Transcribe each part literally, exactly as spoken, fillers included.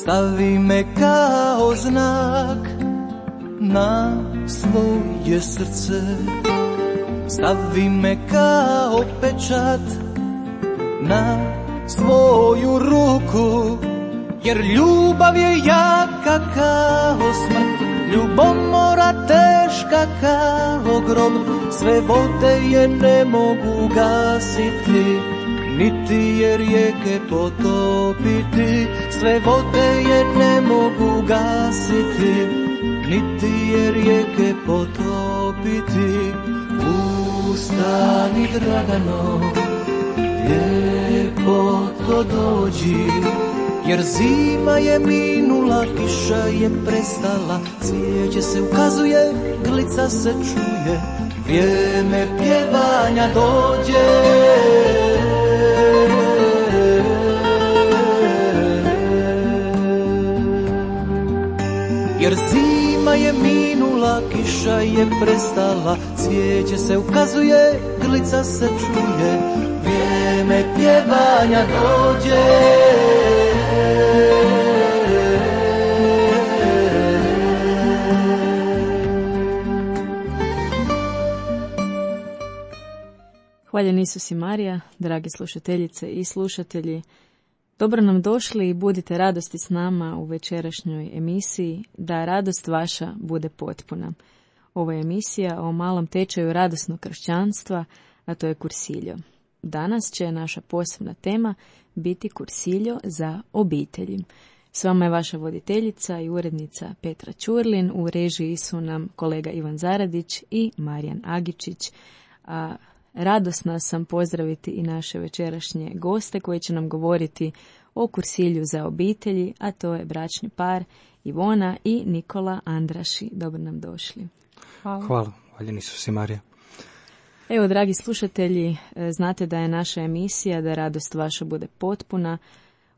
stavi me kao znak na svoje srce, stavi me kao pečat na svoju ruku, jer ljubav je jaka kao smrt, ljubomora teška kao grob, sve vode je ne mogu gasiti, niti je rijeke potopiti, sve vode je ne mogu gasiti, niti je rijeke potopiti. Ustani Dragano, lijepo to dođi, jer zima je minula, kiša je prestala, cvijeće se ukazuje, glica se čuje, vrijeme pjevanja dođe. Jer zima je minula, kiša je prestala, cvijeće se ukazuje, glica se čuje, vrijeme pjevanja dođe. Hvaljen Isus i Marija, dragi slušateljice i slušatelji. Dobro nam došli i budite radosti s nama u večerašnjoj emisiji, da radost vaša bude potpuna. Ovo je emisija o malom tečaju radosnog kršćanstva, a to je kursiljo. Danas će naša posebna tema biti kursiljo za obitelji. S vama je vaša voditeljica i urednica Petra Ćurlin, u režiji su nam kolega Ivan Zaradić i Marijan Agičić. A radosna sam pozdraviti i naše večerašnje goste koji će nam govoriti o kursilju za obitelji, a to je bračni par Ivona i Nikola Andraši. Dobro nam došli. Hvala. Hvala. Hvaljen Isus i Marija. Evo, dragi slušatelji, znate da je naša emisija Da radost vaša bude potpuna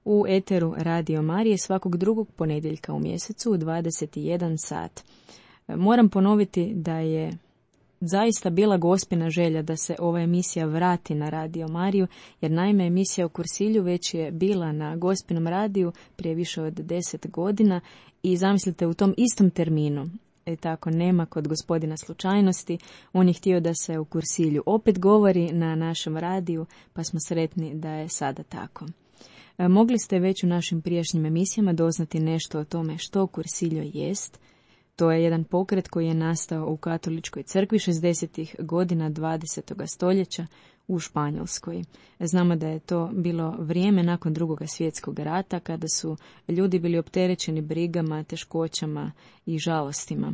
u eteru Radio Marije svakog drugog ponedjeljka u mjesecu u dvadeset jedan sat. Moram ponoviti da je zaista bila gospina želja da se ova emisija vrati na Radio Mariju, jer naime emisija o kursilju već je bila na gospinom radiju prije više od deset godina i zamislite u tom istom terminu. E tako, nema kod gospodina slučajnosti, on je htio da se o kursilju opet govori na našem radiju, pa smo sretni da je sada tako. E, mogli ste već u našim prijašnjim emisijama doznati nešto o tome što kursiljo jest. To je jedan pokret koji je nastao u katoličkoj crkvi šezdesetih godina dvadesetog stoljeća u Španjolskoj. Znamo da je to bilo vrijeme nakon drugog svjetskog rata, kada su ljudi bili opterećeni brigama, teškoćama i žalostima.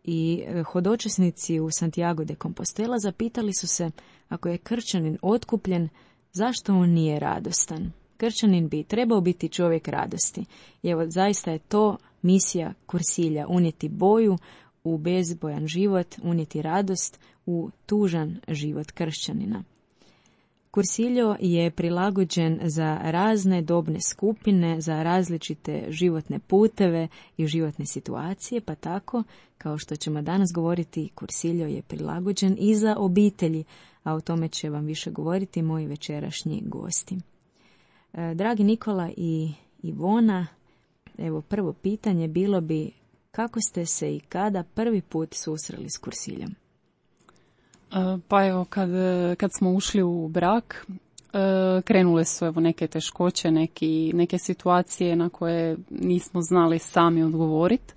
I hodočasnici u Santiago de Compostela zapitali su se, ako je kršćanin otkupljen, zašto on nije radostan? Kršćanin bi trebao biti čovjek radosti. I evo, zaista je to misija kursilja, unijeti boju u bezbojan život, unijeti radost u tužan život kršćanina. Kursiljo je prilagođen za razne dobne skupine, za različite životne puteve i životne situacije, pa tako, kao što ćemo danas govoriti, kursiljo je prilagođen i za obitelji, a o tome će vam više govoriti moji večerašnji gosti. Dragi Nikola i Ivona, evo prvo pitanje bilo bi kako ste se i kada prvi put susreli s kursiljom? Pa evo, kad, kad smo ušli u brak, krenule su evo neke teškoće, neki, neke situacije na koje nismo znali sami odgovoriti.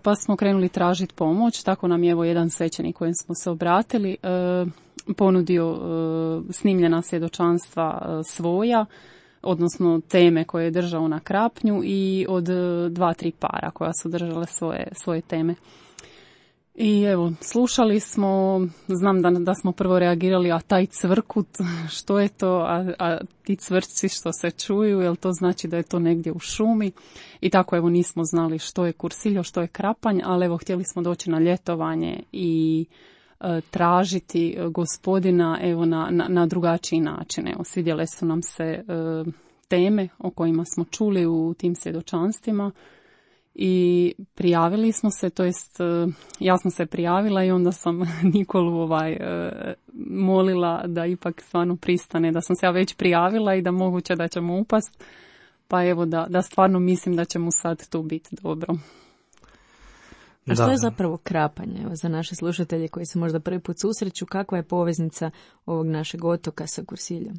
Pa smo krenuli tražiti pomoć, tako nam je evo jedan svećenik kojem smo se obratili ponudio snimljena svjedočanstva svoja, odnosno teme koje je držao na Krapnju i od dva, tri para koja su držale svoje, svoje teme. I evo, slušali smo, znam da, da smo prvo reagirali, a taj cvrkut, što je to, a, a ti cvrčci što se čuju, jel to znači da je to negdje u šumi? I tako evo nismo znali što je kursiljo, što je Krapanj, ali evo htjeli smo doći na ljetovanje i e, tražiti gospodina evo na, na, na drugačiji način. Evo, svidjele su nam se e, teme o kojima smo čuli u tim svjedočanstvima. I prijavili smo se, to jest ja sam se prijavila i onda sam Nikolu ovaj, molila da ipak stvarno pristane, da sam se ja već prijavila i da moguće da ćemo upast. pa evo da, da stvarno mislim da će mu sad tu biti dobro. A što je zapravo krapanje? Evo, za naše slušatelje koji se možda prvi put susreću, kakva je poveznica ovog našeg otoka sa Kursiljom?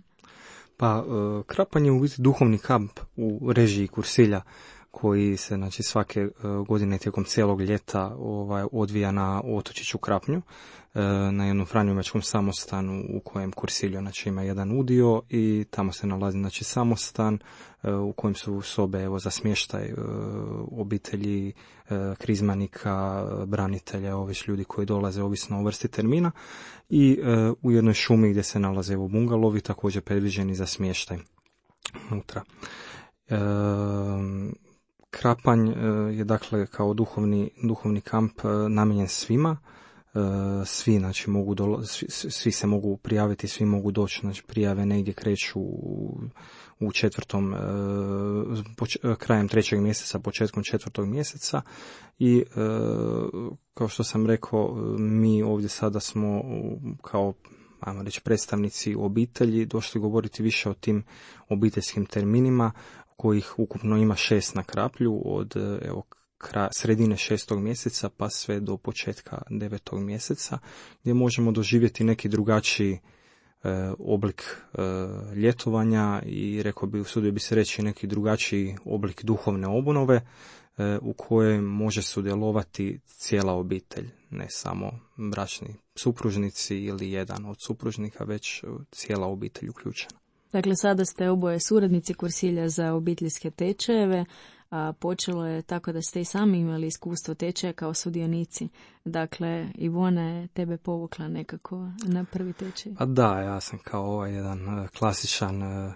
Pa, krapanje je u biti duhovni kamp u režiji Kursilja, koji se, znači, svake godine tijekom cijelog ljeta ovaj, odvija na otočiću Krapnju, na jednom franjevačkom samostanu u kojem Kursiljo, znači, ima jedan udio i tamo se nalazi, znači, samostan u kojem su sobe, evo, za smještaj obitelji krizmanika, branitelja, ovih ljudi koji dolaze ovisno o vrsti termina, i u jednoj šumi gdje se nalaze, evo, bungalovi također predviđeni za smještaj unutra. E, Krapanj je, dakle, kao duhovni, duhovni kamp namijenjen svima. Svi, znači, mogu dolo, svi, svi se mogu prijaviti, svi mogu doći, znači, prijave negdje kreću u, u četvrtom, poč, krajem trećeg mjeseca, početkom četvrtog mjeseca i kao što sam rekao, mi ovdje sada smo kao, ajmo reći, predstavnici obitelji došli govoriti više o tim obiteljskim terminima, kojih ukupno ima šest na Kraplju od, evo, kraj, sredine šestog mjeseca pa sve do početka devetog mjeseca, gdje možemo doživjeti neki drugačiji e, oblik e, ljetovanja i, rekao bi, usudio bi se reći, neki drugačiji oblik duhovne obnove e, u kojoj može sudjelovati cijela obitelj, ne samo bračni supružnici ili jedan od supružnika, već cijela obitelj uključena. Dakle, sada ste oboje suradnici Kursilja za obiteljske tečajeve, a počelo je tako da ste i sami imali iskustvo tečaja kao sudionici. Dakle, Ivona je tebe povukla nekako na prvi tečaj. A da, ja sam kao ovaj jedan klasičan uh,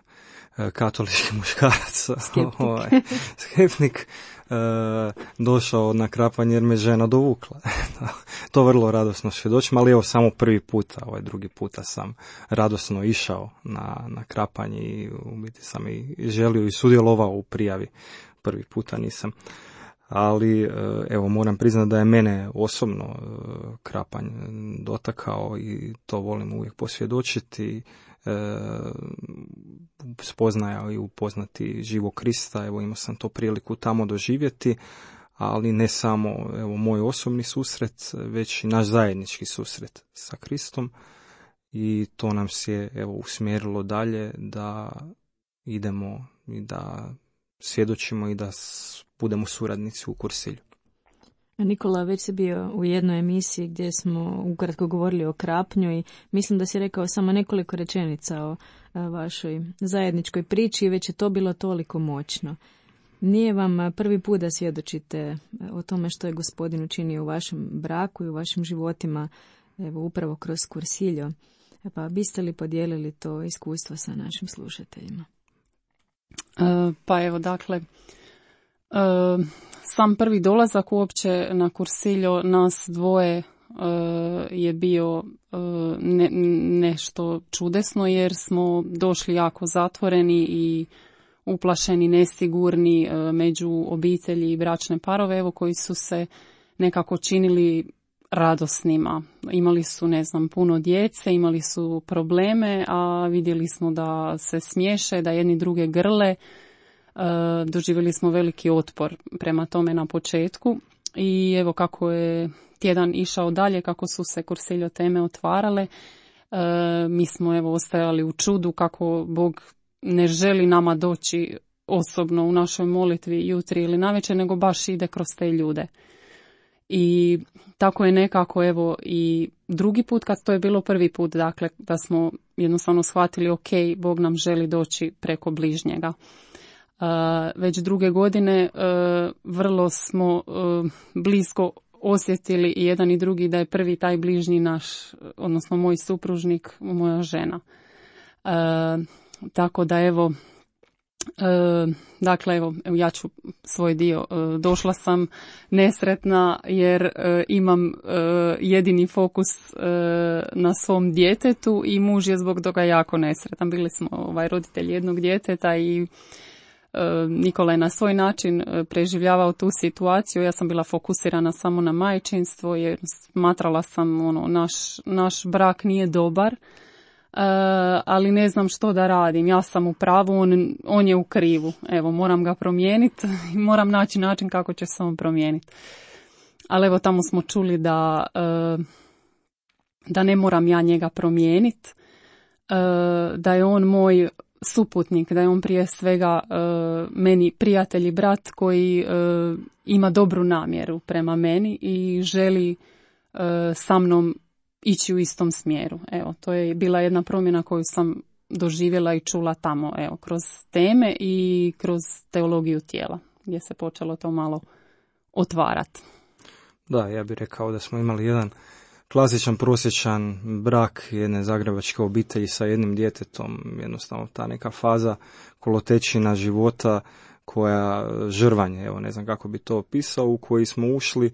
katolički muškarac, skeptik, ovaj, skeptik uh, došao na krapanje jer me žena dovukla. To vrlo radosno svjedočim, ali evo samo prvi puta, ovaj drugi puta sam radosno išao na, na krapanje i u biti sam i želio i sudjelovao u prijavi. Prvi puta nisam, ali evo, moram priznati da je mene osobno krapanj dotakao i to volim uvijek posvjedočiti, spoznaja i upoznati živog Krista. Evo, imao sam to priliku tamo doživjeti, ali ne samo, evo, moj osobni susret, već i naš zajednički susret sa Kristom, i to nam se, evo, usmjerilo dalje da idemo i da svjedočimo i da budemo suradnici u Kursilju. Nikola, već si bio u jednoj emisiji gdje smo ukratko govorili o Krapnju i mislim da si rekao samo nekoliko rečenica o vašoj zajedničkoj priči i već je to bilo toliko moćno. Nije vam prvi put da svjedočite o tome što je Gospodin učinio u vašem braku i u vašim životima, evo, upravo kroz Kursiljo. Pa biste li podijelili to iskustvo sa našim slušateljima? Uh, pa evo, dakle, uh, sam prvi dolazak uopće na Kursiljo nas dvoje uh, je bio uh, ne, nešto čudesno, jer smo došli jako zatvoreni i uplašeni, nesigurni uh, među obitelji i bračne parove, evo, koji su se nekako činili radosnima. Imali su, ne znam, puno djece, imali su probleme, a vidjeli smo da se smiješe, da jedni druge grle. E, doživjeli smo veliki otpor prema tome na početku i evo kako je tjedan išao dalje, kako su se Kursiljo teme otvarale, e, mi smo, evo, ostajali u čudu kako Bog ne želi nama doći osobno u našoj molitvi jutri ili navečer, nego baš ide kroz te ljude. I tako je nekako, evo, i drugi put, kad to je bilo prvi put, dakle, da smo jednostavno shvatili, ok, Bog nam želi doći preko bližnjega. Uh, već druge godine uh, vrlo smo uh, blisko osjetili i jedan i drugi da je prvi taj bližnji naš, odnosno moj supružnik, moja žena. Uh, tako da, evo, E, dakle, evo, ja ću svoj dio. E, došla sam nesretna jer e, imam e, jedini fokus e, na svom djetetu i muž je zbog toga jako nesretan. Bili smo ovaj, roditelji jednog djeteta i e, Nikola je na svoj način preživljavao tu situaciju. Ja sam bila fokusirana samo na majčinstvo jer smatrala sam, ono, naš, naš brak nije dobar. ali ne znam što da radim. Ja sam u pravu, on, on je u krivu. Evo, moram ga promijeniti i moram naći način kako će se on promijeniti. Ali evo, tamo smo čuli da, da ne moram ja njega promijeniti, da je on moj suputnik, da je on prije svega meni prijatelj i brat koji ima dobru namjeru prema meni i želi sa mnom ići u istom smjeru. Evo, to je bila jedna promjena koju sam doživjela i čula tamo, evo, kroz teme i kroz teologiju tijela, gdje se počelo to malo otvarati. Da, ja bih rekao da smo imali jedan klasičan, prosječan brak jedne zagrebačke obitelji sa jednim djetetom, jednostavno ta neka faza kolotečina života koja žrvanje, evo ne znam kako bi to opisao, u koji smo ušli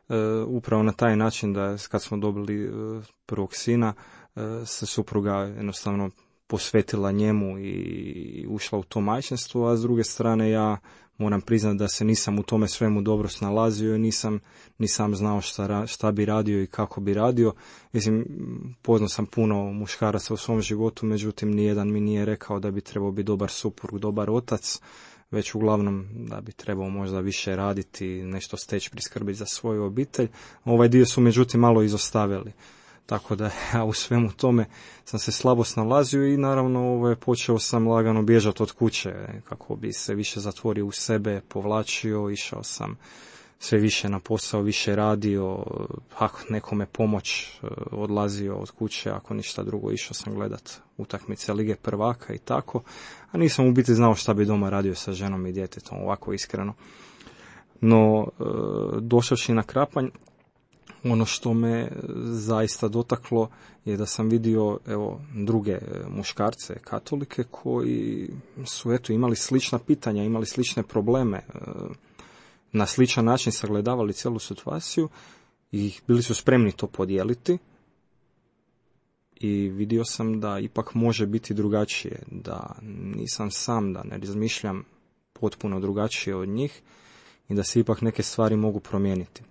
uh, upravo na taj način da kad smo dobili uh, prvog sina, uh, se supruga jednostavno posvetila njemu i ušla u to majčinstvo, a s druge strane ja moram priznati da se nisam u tome svemu dobro snalazio i nisam, nisam znao šta, šta bi radio i kako bi radio. Mislim, poznao sam puno muškaraca u svom životu, međutim nijedan mi nije rekao da bi trebao biti dobar suprug, dobar otac, već uglavnom da bi trebao možda više raditi, nešto steći, priskrbiti za svoju obitelj. Ovaj dio su međutim malo izostavili. Tako da ja u svemu tome sam se slabo snalazio i naravno ovaj, počeo sam lagano bježati od kuće kako bi se više zatvorio u sebe, povlačio, išao sam sve više na posao, više radio, ako nekome pomoć, odlazio od kuće, ako ništa drugo išao sam gledat utakmice Lige prvaka i tako, a nisam u biti znao šta bi doma radio sa ženom i djetetom, ovako iskreno. No, došavši na Krapanj, ono što me zaista dotaklo je da sam vidio evo druge muškarce katolike koji su eto imali slična pitanja, imali slične probleme, na sličan način sagledavali cijelu situaciju i bili su spremni to podijeliti i vidio sam da ipak može biti drugačije, da nisam sam, da ne razmišljam potpuno drugačije od njih i da se ipak neke stvari mogu promijeniti.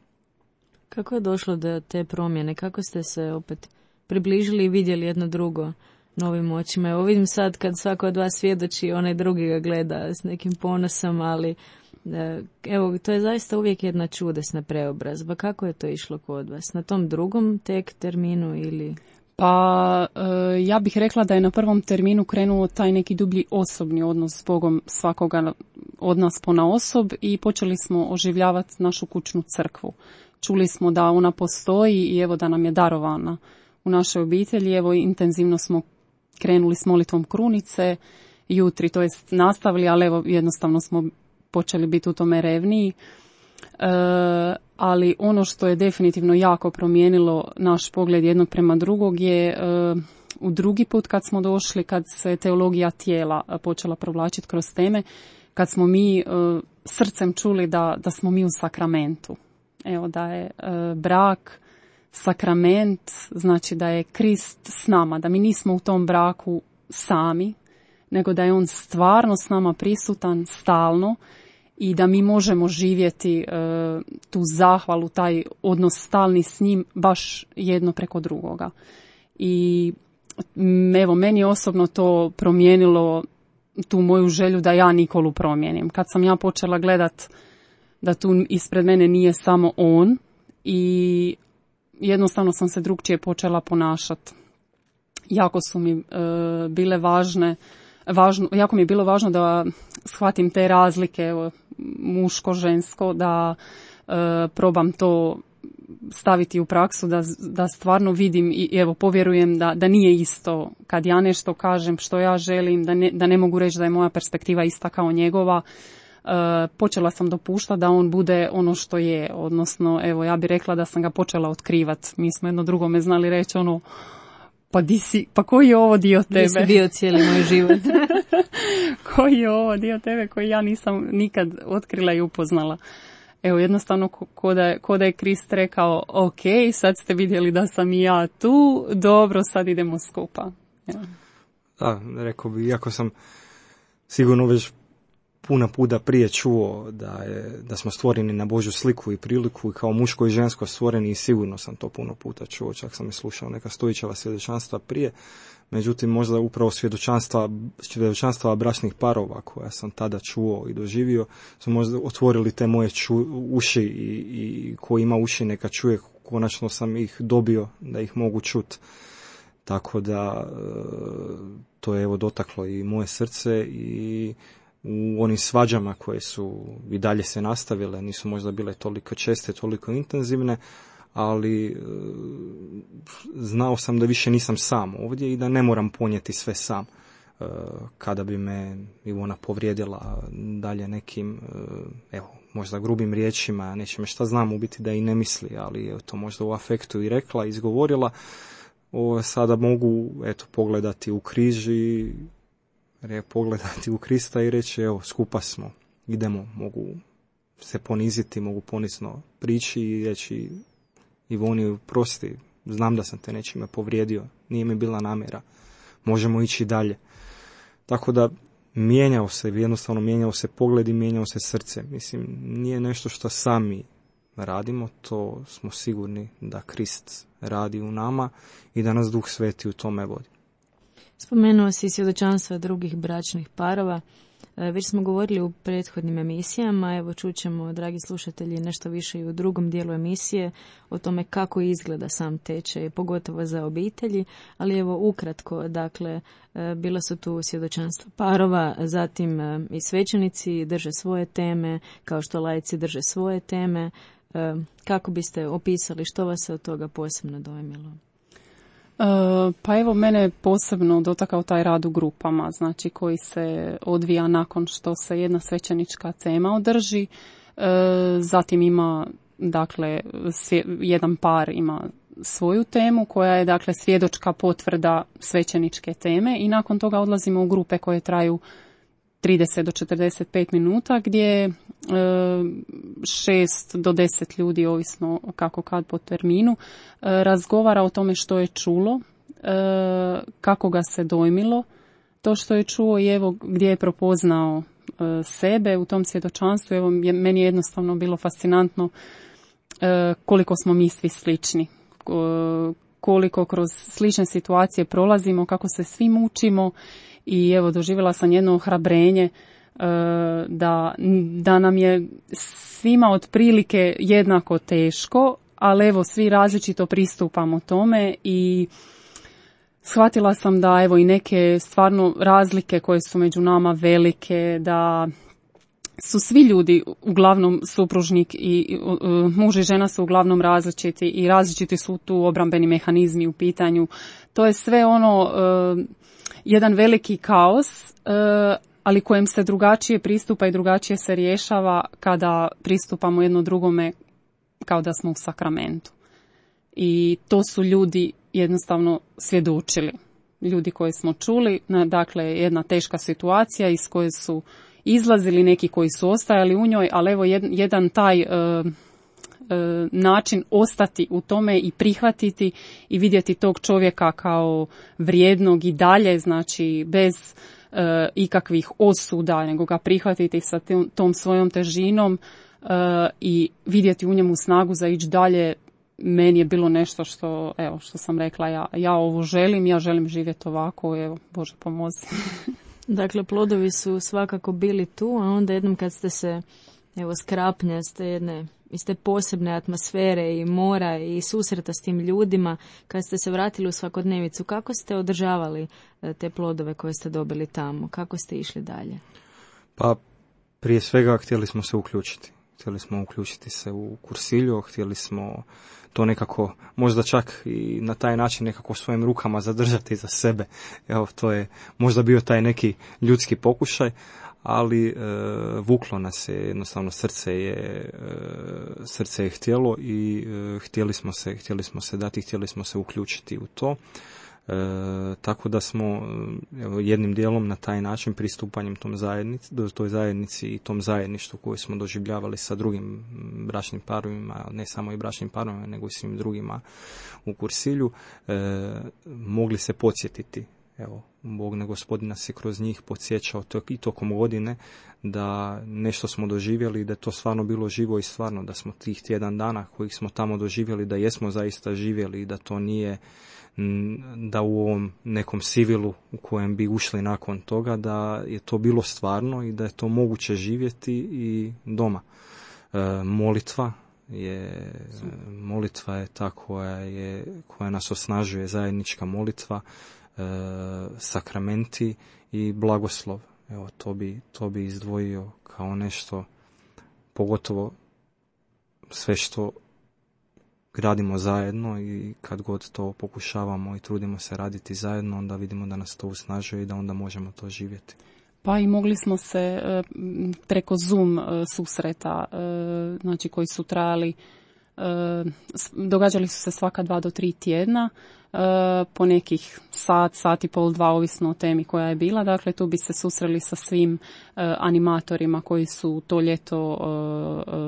Kako je došlo do te promjene? Kako ste se opet približili i vidjeli jedno drugo novim očima? Evo vidim sad kad svako od vas svjedoči, onaj drugi ga gleda s nekim ponosom, ali evo, to je zaista uvijek jedna čudesna preobrazba. Kako je to išlo kod vas? Na tom drugom tek terminu ili... Pa ja bih rekla da je na prvom terminu krenuo taj neki dublji osobni odnos s Bogom svakoga od nas ponaosob i počeli smo oživljavati našu kućnu crkvu. Čuli smo da ona postoji i evo da nam je darovana u našoj obitelji. Evo intenzivno smo krenuli s molitvom krunice jutri, to jest nastavili, ali evo jednostavno smo počeli biti u tome revniji. E, ali ono što je definitivno jako promijenilo naš pogled jednog prema drugog je e, u drugi put kad smo došli, kad se teologija tijela počela provlačiti kroz teme, kad smo mi e, srcem čuli da, da smo mi u sakramentu. Evo da je e, brak, sakrament, znači da je Krist s nama, da mi nismo u tom braku sami, nego da je on stvarno s nama prisutan stalno i da mi možemo živjeti e, tu zahvalu, taj odnos stalni s njim baš jedno preko drugoga. I evo, meni je osobno to promijenilo tu moju želju da ja Nikolu promijenim. Kad sam ja počela gledat da tu ispred mene nije samo on i jednostavno sam se drugčije počela ponašati. Jako su mi e, bile važne, važno, jako mi je bilo važno da shvatim te razlike, evo, muško-žensko, da e, probam to staviti u praksu, da, da stvarno vidim i evo povjerujem da, da nije isto kad ja nešto kažem što ja želim, da ne, da ne mogu reći da je moja perspektiva ista kao njegova. Uh, počela sam dopuštati da on bude ono što je, odnosno evo ja bih rekla da sam ga počela otkrivati. Mi smo jedno drugome znali reći ono, pa di si, pa koji je ovo dio tebe? Di si bio cijeli moj život? Koji je ovo dio tebe koji ja nisam nikad otkrila i upoznala? Evo jednostavno ko da je, ko da je Krist rekao, ok, sad ste vidjeli da sam i ja tu, dobro, sad idemo skupa. Ja. Da, rekao bi, iako sam sigurno već puno puta prije čuo da, je, da smo stvoreni na Božju sliku i priliku i kao muško i žensko stvoreni i sigurno sam to puno puta čuo, čak sam i slušao neka Stojićeva svjedočanstva prije, međutim možda upravo svjedočanstva, svjedočanstva bračnih parova koja sam tada čuo i doživio su možda otvorili te moje ču, uši i, i ko ima uši neka čuje, konačno sam ih dobio da ih mogu čuti. Tako da to je evo dotaklo i moje srce i u onim svađama koje su i dalje se nastavile, nisu možda bile toliko česte, toliko intenzivne, ali znao sam da više nisam sam ovdje i da ne moram ponijeti sve sam. Kada bi me Ivona povrijedila dalje nekim, evo, možda grubim riječima, nečime šta znam u biti da i ne misli, ali je to možda u afektu i rekla, izgovorila, o, sada mogu eto pogledati u križ i re, pogledati u Krista i reći evo skupa smo, idemo, mogu se poniziti, mogu ponizno prići i reći Ivoni prosti, znam da sam te nečime povrijedio, nije mi bila namjera, možemo ići dalje. Tako da mijenjao se, jednostavno mijenjao se pogled i mijenjao se srce. Mislim, nije nešto što sami radimo, to smo sigurni da Krist radi u nama i da nas Duh Sveti u tome vodi. Spomenuo si svjedočanstva drugih bračnih parova. Već smo govorili u prethodnim emisijama, evo čućemo, dragi slušatelji, nešto više i u drugom dijelu emisije o tome kako izgleda sam tečaj, pogotovo za obitelji, ali evo ukratko, dakle, bila su tu svjedočanstva parova, zatim i svećenici drže svoje teme, kao što laici drže svoje teme. Kako biste opisali, što vas se od toga posebno dojmilo? Pa evo, mene je posebno dotakao taj rad u grupama, znači koji se odvija nakon što se jedna svećenička tema održi. Zatim ima, dakle, jedan par ima svoju temu koja je, dakle, svjedočka potvrda svećeničke teme i nakon toga odlazimo u grupe koje traju trideset do četrdeset pet minuta gdje šest do deset ljudi, ovisno kako kad po terminu, razgovara o tome što je čulo, kako ga se dojmilo to što je čuo i evo gdje je prepoznao sebe u tom svjedočanstvu. Evo, meni je jednostavno bilo fascinantno koliko smo mi svi slični, koliko kroz slične situacije prolazimo, kako se svi mučimo i evo doživjela sam jedno ohrabrenje da, da nam je svima otprilike jednako teško, ali evo svi različito pristupamo tome i shvatila sam da evo i neke stvarno razlike koje su među nama velike, da su svi ljudi uglavnom supružnik i uh, muž i žena su uglavnom različiti i različiti su tu obrambeni mehanizmi u pitanju. To je sve ono uh, jedan veliki kaos, uh, ali kojem se drugačije pristupa i drugačije se rješava kada pristupamo jedno drugome kao da smo u sakramentu. I to su ljudi jednostavno svjedočili. Ljudi koje smo čuli, dakle jedna teška situacija iz koje su izlazili, neki koji su ostajali u njoj, ali evo jedan taj uh, uh, način ostati u tome i prihvatiti i vidjeti tog čovjeka kao vrijednog i dalje, znači bez uh, ikakvih osuda, nego ga prihvatiti sa tom, tom svojom težinom uh, i vidjeti u njemu snagu za ići dalje. Meni je bilo nešto što, evo, što sam rekla, ja, ja ovo želim, ja želim živjeti ovako, evo, Bože pomozi. Dakle, plodovi su svakako bili tu, a onda jednom kad ste se, evo, skrapnja ste jedne, iz te posebne atmosfere i mora i susreta s tim ljudima, kad ste se vratili u svakodnevicu, kako ste održavali te plodove koje ste dobili tamo? Kako ste išli dalje? Pa, prije svega htjeli smo se uključiti. Htjeli smo uključiti se u kursilju, htjeli smo to nekako, možda čak i na taj način nekako svojim rukama zadržati za sebe. Evo, to je možda bio taj neki ljudski pokušaj, ali e, vuklo nas je, jednostavno srce je, e, srce je htjelo i e, htjeli smo se, htjeli smo se dati, htjeli smo se uključiti u to. E, tako da smo evo, jednim dijelom na taj način pristupanjem tom zajednici, toj zajednici i tom zajedništvu koje smo doživljavali sa drugim bračnim parovima, ne samo i bračnim parovima, nego i svim drugima u kursilju, e, mogli se podsjetiti evo, Bog na Gospodina se kroz njih podsjećao i tokom godine da nešto smo doživjeli, da je to stvarno bilo živo i stvarno, da smo tih tjedan dana kojih smo tamo doživjeli, da jesmo zaista živjeli i da to nije da u ovom nekom sivilu u kojem bi ušli nakon toga, da je to bilo stvarno i da je to moguće živjeti i doma. E, molitva je molitva je ta koja je koja nas osnažuje, zajednička molitva, e, sakramenti i blagoslov. Evo, to bi, to bi izdvojio kao nešto, pogotovo sve što radimo zajedno i kad god to pokušavamo i trudimo se raditi zajedno, onda vidimo da nas to usnažuje i da onda možemo to živjeti. Pa i mogli smo se preko Zoom susreta, znači koji su trajali, događali su se svaka dva do tri tjedna, po nekih sat, sat i pol, dva, ovisno o temi koja je bila. Dakle, tu bi se susreli sa svim animatorima koji su to ljeto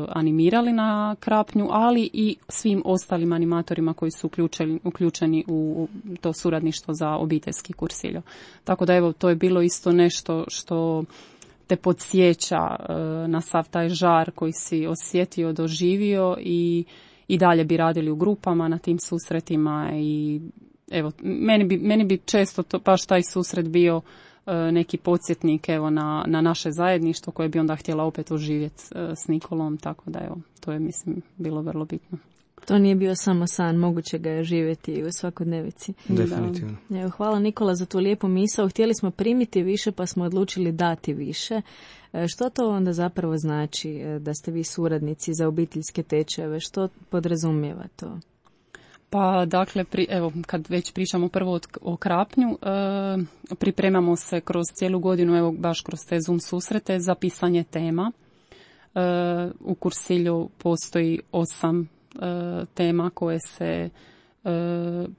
animirali na Krapnju, ali i svim ostalim animatorima koji su uključeni, uključeni u to suradništvo za obiteljski kursiljo. Tako da evo, to je bilo isto nešto što te podsjeća na sav taj žar koji si osjetio, doživio i i dalje bi radili u grupama na tim susretima i evo, meni bi, meni bi često to, baš taj susret bio uh, neki podsjetnik evo, na, na naše zajedništvo koje bi onda htjela opet oživjeti uh, s Nikolom, tako da evo, to je mislim bilo vrlo bitno. To nije bio samo san, moguće ga je živjeti u svakodnevici. Definitivno. Evo, hvala Nikola za tu lijepu misao. Htjeli smo primiti više pa smo odlučili dati više. Što to onda zapravo znači da ste vi suradnici za obiteljske tečajeve? Što podrazumijeva to? Pa dakle, pri, evo, kad već pričamo prvo o, o Krapnju, e, pripremamo se kroz cijelu godinu, evo baš kroz te Zoom susrete za pisanje tema. E, u kursilju postoji osam e, tema koje se e,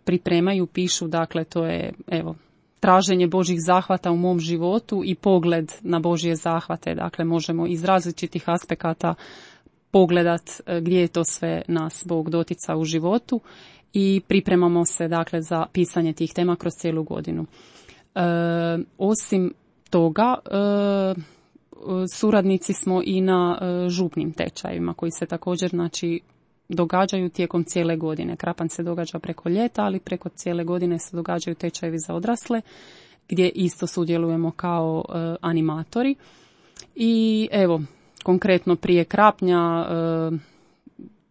pripremaju, pišu, dakle to je evo traženje Božjih zahvata u mom životu i pogled na Božje zahvate. Dakle, možemo iz različitih aspekata pogledat gdje je to sve nas Bog dotica u životu i pripremamo se dakle za pisanje tih tema kroz cijelu godinu. E, osim toga, e, suradnici smo i na e, župnim tečajima koji se također znači događaju tijekom cijele godine. Krapanj se događa preko ljeta, ali preko cijele godine se događaju tečajevi za odrasle, gdje isto sudjelujemo kao e, animatori. I evo, konkretno prije Krapnja e,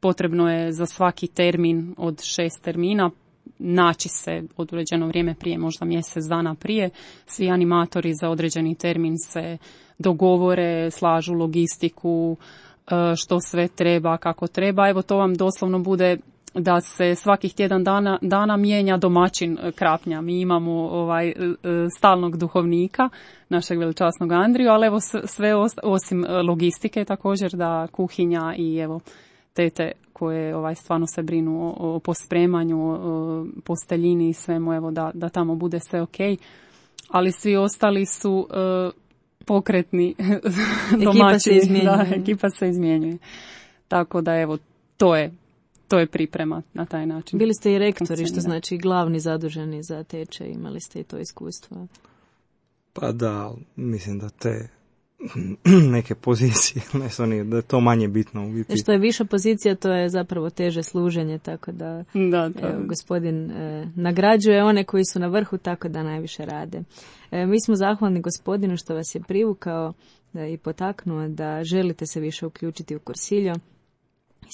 potrebno je za svaki termin od šest termina naći se određeno vrijeme prije, možda mjesec dana prije. Svi animatori za određeni termin se dogovore, slažu logistiku, što sve treba, kako treba. Evo, to vam doslovno bude da se svakih tjedan dana, dana mijenja domaćin Krapnja. Mi imamo ovaj stalnog duhovnika, našeg veličasnog Andriju, ali evo sve osim logistike također, da kuhinja i evo tete koje ovaj stvarno se brinu o, o pospremanju, o posteljini i svemu, evo da, da tamo bude sve ok. Ali svi ostali su uh, pokretni domaći. Ekipa se izmjenjuje. Da, ekipa se izmjenjuje. Tako da evo, to je, to je priprema na taj način. Bili ste i rektori, što znači glavni zaduženi za tečaj, imali ste i to iskustvo. Pa da, mislim da te neke pozicije, ne, da je to manje bitno u biti. Što je viša pozicija, to je zapravo teže služenje, tako da, da to... evo, gospodin e, nagrađuje one koji su na vrhu, tako da najviše rade. E, mi smo zahvalni gospodinu što vas je privukao da, i potaknuo da želite se više uključiti u kursiljo.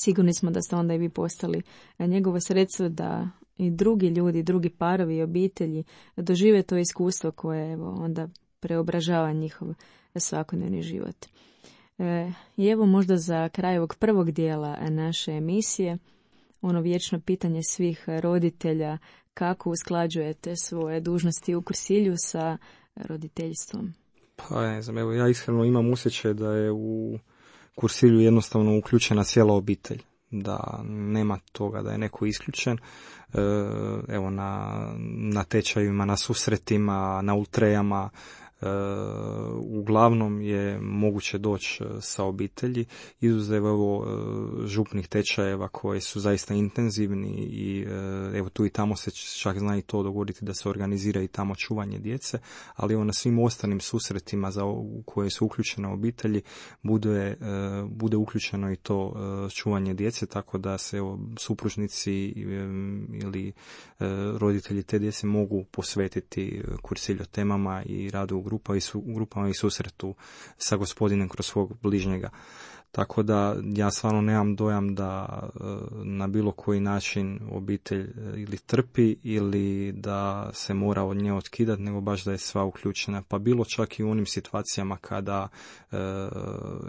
Sigurni smo da ste onda i vi postali njegovo sredstvo da i drugi ljudi, drugi parovi i obitelji dožive to iskustvo koje evo onda preobražava njihov svakodnevni život. E, I evo možda za kraj ovog prvog dijela naše emisije, ono vječno pitanje svih roditelja, kako usklađujete svoje dužnosti u kursilju sa roditeljstvom? Pa ne znam, evo ja iskreno imam osjećaj da je u kursilju jednostavno uključena cijela obitelj, da nema toga da je neko isključen. E, evo na, na tečajima, na susretima, na ultrejama, Uh, uglavnom uglavnom je moguće doći sa obitelji, izuzev evo župnih tečajeva koji su zaista intenzivni i evo tu i tamo se čak zna i to dogoditi da se organizira i tamo čuvanje djece, ali evo na svim ostalim susretima za u koje su uključene obitelji bude, bude uključeno i to čuvanje djece, tako da se evo supružnici ili roditelji te djece mogu posvetiti kursiljo temama i radu u grupa i su, grupama i susretu sa gospodinem kroz svog bližnjega. Tako da ja stvarno nemam dojam da na bilo koji način obitelj ili trpi ili da se mora od nje otkidati, nego baš da je sva uključena. Pa bilo čak i u onim situacijama kada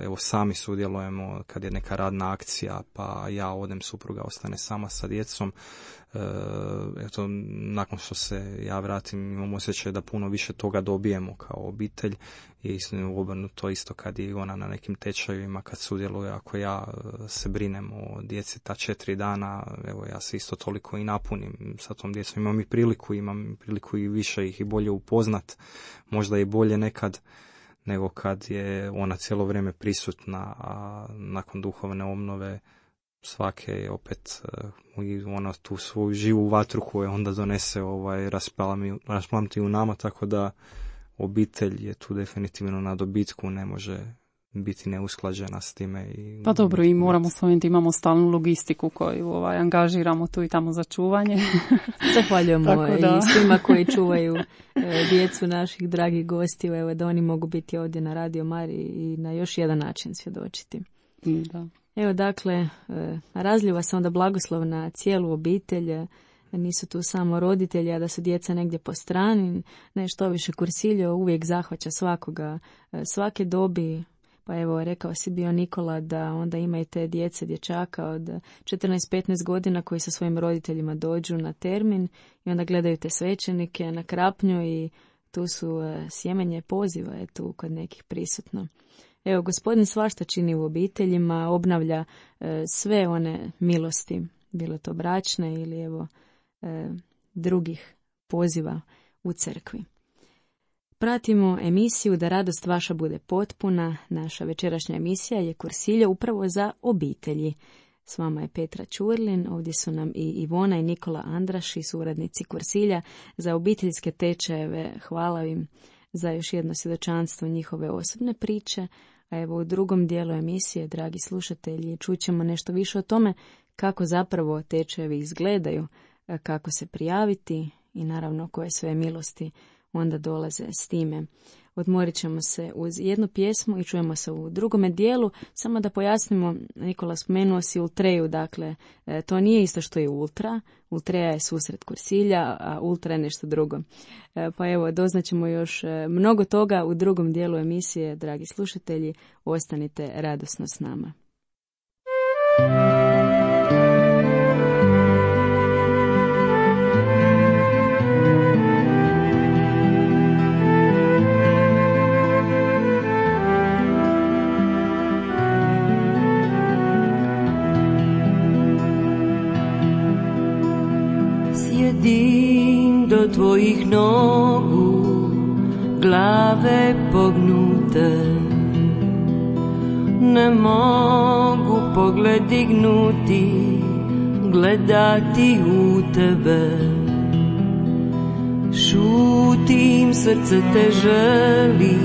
evo sami sudjelujemo, kad je neka radna akcija pa ja odem, supruga ostane sama sa djecom. Eto, nakon što se ja vratim imam osjećaj da puno više toga dobijemo kao obitelj i isto obrnuto isto kad je ona na nekim tečajevima kad sudjeluje, ako ja se brinem o djeci ta četiri dana, evo ja se isto toliko i napunim sa tom djecom, imam i priliku imam priliku i više ih i bolje upoznat, možda i bolje nekad nego kad je ona cijelo vrijeme prisutna, a nakon duhovne obnove svake je opet uh, ona tu svoju živu vatru koju onda donese ovaj, rasplamti u nama, tako da obitelj je tu definitivno na dobitku, ne može biti neusklađena s time. I, pa dobro, i moramo spomenuti, imamo stalnu logistiku koju ovaj, angažiramo tu i tamo za čuvanje. Zahvaljujemo i svima koji čuvaju e, djecu naših dragih gostiju, evo da oni mogu biti ovdje na Radio Mariji i na još jedan način svjedočiti. Da. Evo dakle, razljiva se onda blagoslov na cijelu obitelj, nisu tu samo roditelji, a da su djeca negdje po strani, nešto više kursiljo uvijek zahvaća svakoga, svake dobi, pa evo rekao si bio Nikola da onda ima i te djece, dječaka od četrnaest petnaest godina koji sa svojim roditeljima dođu na termin i onda gledaju te svećenike na krapnju i tu su sjemenje poziva, je tu kod nekih prisutno. Evo, gospodin svašta čini u obiteljima, obnavlja e, sve one milosti, bilo to bračne ili evo e, drugih poziva u crkvi. Pratimo emisiju Da radost vaša bude potpuna. Naša večerašnja emisija je kursilja upravo za obitelji. S vama je Petra Ćurlin, ovdje su nam i Ivona i Nikola Andraši, suradnici kursilja za obiteljske tečajeve. Hvala im za još jedno svjedočanstvo njihove osobne priče. A evo u drugom dijelu emisije, dragi slušatelji, čućemo nešto više o tome kako zapravo tečajevi izgledaju, kako se prijaviti i naravno koje sve milosti onda dolaze s time. Odmorit ćemo se uz jednu pjesmu i čujemo se u drugome dijelu. Samo da pojasnimo, Nikola spomenuo si Ultreju, dakle to nije isto što je Ultra. Ultreja je susret kursilja, a Ultra je nešto drugo. Pa evo, doznaćemo još mnogo toga u drugom dijelu emisije, dragi slušatelji. Ostanite radosno s nama. Sjedim do tvojih nogu, glave pognute, ne mogu pogled dignuti, gledati u tebe. Šutim, srce te želi,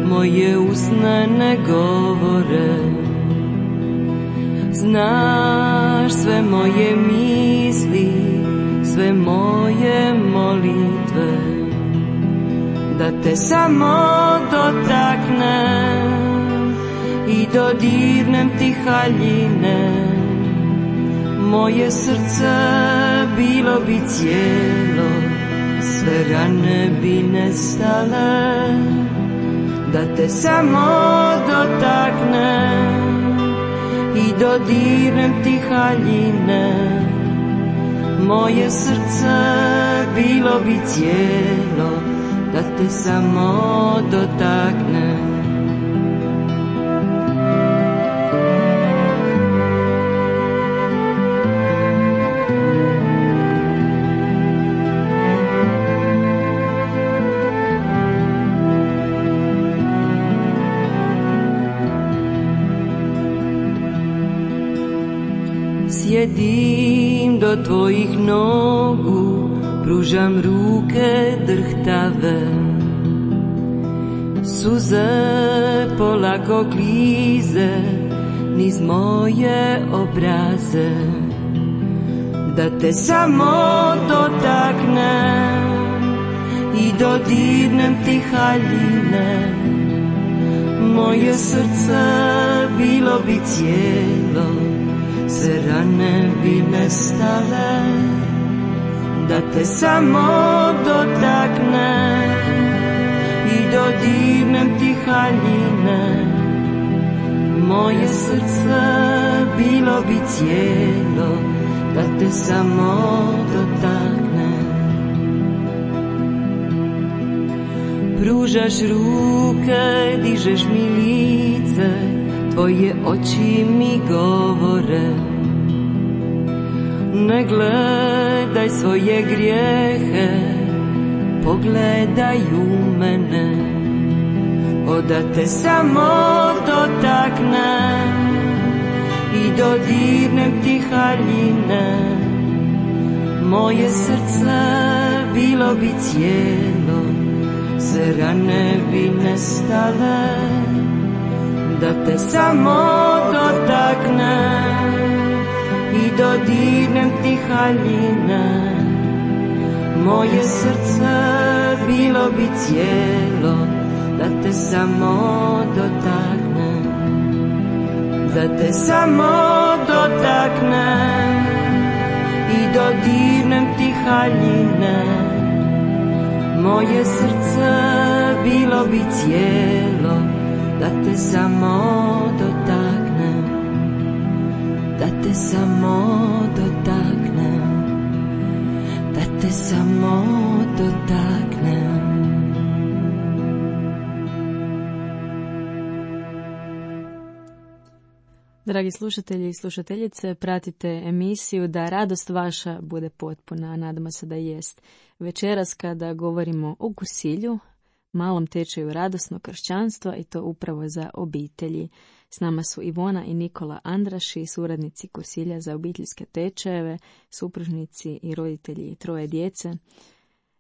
moje usne ne govore. Znaš sve moje misli, sve moje molitve, da te samo dotaknem i dodirnem ti haljine. Moje srce bilo bi cijelo, sve rane bi nestale, da te samo dotaknem i dodirnem ti haljine. Moje srce bilo bi cijelo, da te samo dotaknem. sjedim do tvojih nogu, pružam ruke drhtave. Suze polako klize niz moje obraze, da te samo dotaknem i dodirnem ti haljine. Moje srce bilo bi cijelo, sve rane bi nestale, da te samo dotaknem i dodirnem ti haljine. Moje srce bilo bi cijelo, da te samo dotaknem. Pružaš ruke, dižeš mi lice, tvoje oči mi govore. Ne gledaj svoje grijehe, pogledaj u mene. O da te samo dotaknem i dodirnem ti haljine. Moje srce bilo bi cijelo, sve rane bi nestale, da te samo dotaknem i dodirnem ti haljine. Moje srce bilo bi cijelo, da te samo dotaknem, da te samo dotaknem i dodirnem ti haljine. Moje srce bilo bi cijelo, da te samo dotaknem, da te samo dotaknem, da te samo dotaknem. Dragi slušatelji i slušateljice, pratite emisiju Da radost vaša bude potpuna, a nadamo se da jest. Večeras kada govorimo o Kursilju, malom tečaju radosnog kršćanstva, i to upravo za obitelji. S nama su Ivona i Nikola Andraši, suradnici Kursilja za obiteljske tečajeve, supružnici i roditelji troje djece.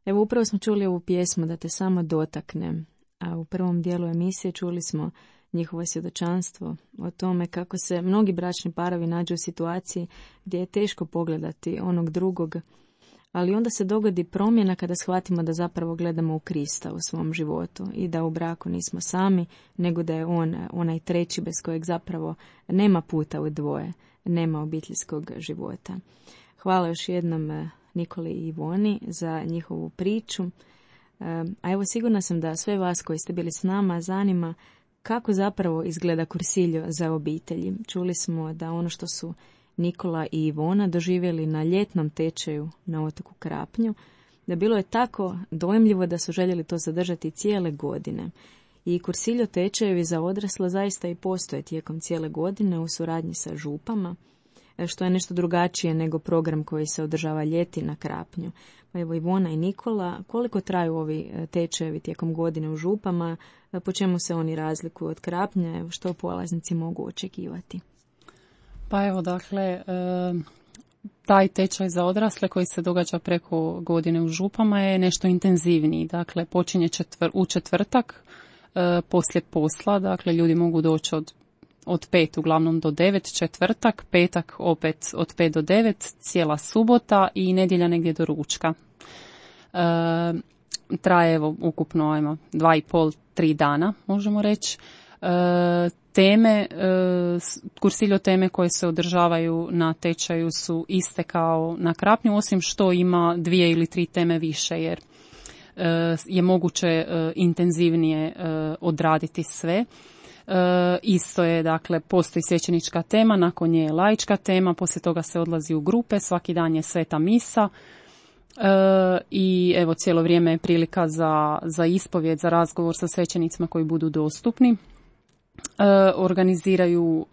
Evo, upravo smo čuli ovu pjesmu Da te samo dotaknem, a u prvom dijelu emisije čuli smo njihovo svjedočanstvo o tome kako se mnogi bračni parovi nađu u situaciji gdje je teško pogledati onog drugog, ali onda se dogodi promjena kada shvatimo da zapravo gledamo u Krista u svom životu i da u braku nismo sami, nego da je on onaj treći bez kojeg zapravo nema puta u dvoje, nema obiteljskog života. Hvala još jednom Nikoli i Ivoni za njihovu priču. A evo, sigurna sam da sve vas koji ste bili s nama zanima kako zapravo izgleda Kursiljo za obitelji. Čuli smo da ono što su Nikola i Ivona doživjeli na ljetnom tečaju na otoku Krapnju, da bilo je tako dojmljivo da su željeli to zadržati cijele godine. I Kursiljo tečajevi za odrasle zaista i postoje tijekom cijele godine u suradnji sa župama, što je nešto drugačije nego program koji se održava ljeti na Krapnju. Pa evo, Ivona i Nikola, koliko traju ovi tečajevi tijekom godine u župama, po čemu se oni razlikuju od Krapnja, evo, što polaznici mogu očekivati? Pa evo, dakle, taj tečaj za odrasle koji se događa preko godine u župama je nešto intenzivniji. Dakle, počinje četvr, u četvrtak poslije posla, dakle, ljudi mogu doći od od pet uglavnom do devet, četvrtak, petak opet od pet do devet, cijela subota i nedjelja negdje do ručka. E, traje evo ukupno ajmo, dva i pol, tri dana možemo reći. E, teme, e, Kursiljo teme koje se održavaju na tečaju su iste kao na Krapnju, osim što ima dvije ili tri teme više, jer e, je moguće e, intenzivnije e, odraditi sve. E, isto je, dakle, postoji svećenička tema, nakon nje je laička tema, poslije toga se odlazi u grupe, svaki dan je sveta misa e, i evo cijelo vrijeme je prilika za, za ispovjed, za razgovor sa svećenicima koji budu dostupni. organiziraju,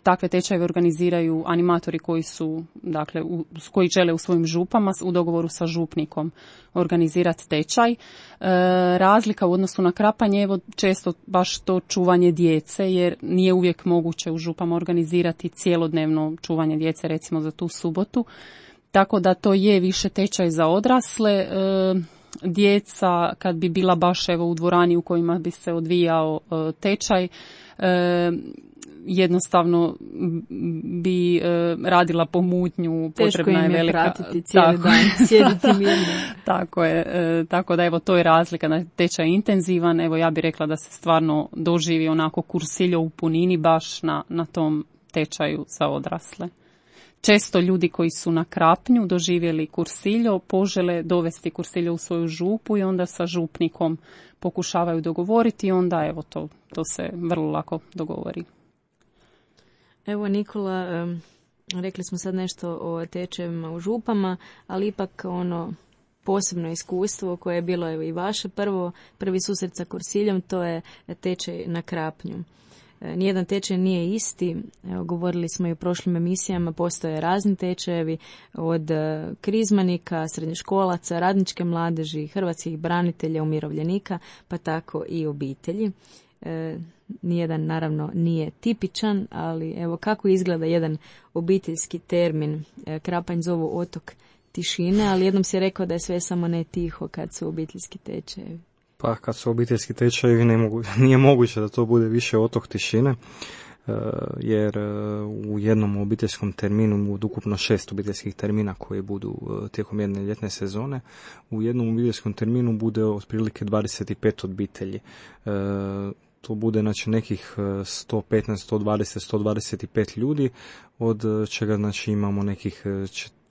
takve tečajeve organiziraju animatori koji su, dakle, u, koji žele u svojim župama u dogovoru sa župnikom organizirati tečaj. Razlika u odnosu na Krapanje, evo često baš to čuvanje djece, jer nije uvijek moguće u župama organizirati cijelodnevno čuvanje djece, recimo za tu subotu. Tako da to je više tečaj za odrasle. Djeca, kad bi bila baš evo u dvorani u kojima bi se odvijao e, tečaj, e, jednostavno bi e, radila pomutnju, potrebna je velika... Teško im je pratiti cijeli tako, dan, sjediti mirno. Tako je, e, tako da evo to je razlika, da tečaj je intenzivan, evo ja bih rekla da se stvarno doživi onako kursiljo u punini baš na, na tom tečaju za odrasle. Često ljudi koji su na Krapnju doživjeli kursiljo požele dovesti kursiljo u svoju župu i onda sa župnikom pokušavaju dogovoriti i onda evo to, to se vrlo lako dogovori. Evo Nikola, um, rekli smo sad nešto o tečajevima u župama, ali ipak ono posebno iskustvo koje je bilo evo i vaše prvo, prvi susret sa kursiljom, to je tečaj na Krapnju. Nijedan tečaj nije isti, evo, govorili smo i u prošlim emisijama, postoje razni tečajevi od krizmanika, srednjoškolaca, radničke mladeži, hrvatskih branitelja, umirovljenika, pa tako i obitelji. E, nijedan naravno nije tipičan, ali evo kako izgleda jedan obiteljski termin. E, Krapanj zovu otok tišine, ali jednom si rekao da je sve samo ne tiho kad su obiteljski tečajevi. Pa kad su obiteljski tečajevi ne mogu, nije moguće da to bude više otok tišine, jer u jednom obiteljskom terminu, od ukupno šest obiteljskih termina koji budu tijekom jedne ljetne sezone, u jednom obiteljskom terminu bude otprilike dvadeset pet obitelji. To bude znači nekih sto petnaest, sto dvadeset, sto dvadeset pet ljudi, od čega znači imamo nekih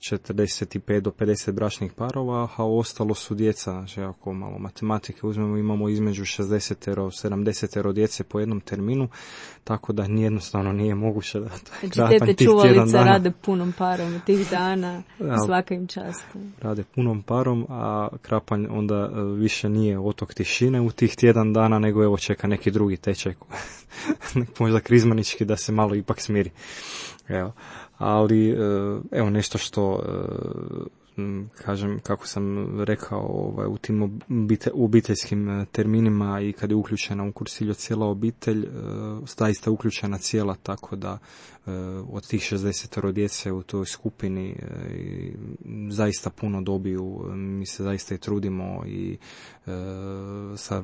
četrdeset pet do pedeset bračnih parova, a ostalo su djeca, znači ako malo matematike uzmemo, imamo između šezdeset do sedamdeset djece po jednom terminu, tako da jednostavno nije moguće da Krapanj tih tjedan dana rade punom parom tih dana, svaka im čast. Rade punom parom, a Krapanj onda više nije otok tišine u tih tjedan dana, nego evo čeka neki drugi tečaj, možda krizmanički, da se malo ipak smiri. Evo. Ali evo nešto što kažem, kako sam rekao, ovaj, u tim obiteljskim terminima i kad je uključena u kursiljo cijela obitelj, zaista uključena cijela, tako da od tih šezdeset djece u toj skupini zaista puno dobiju. Mi se zaista i trudimo i sa,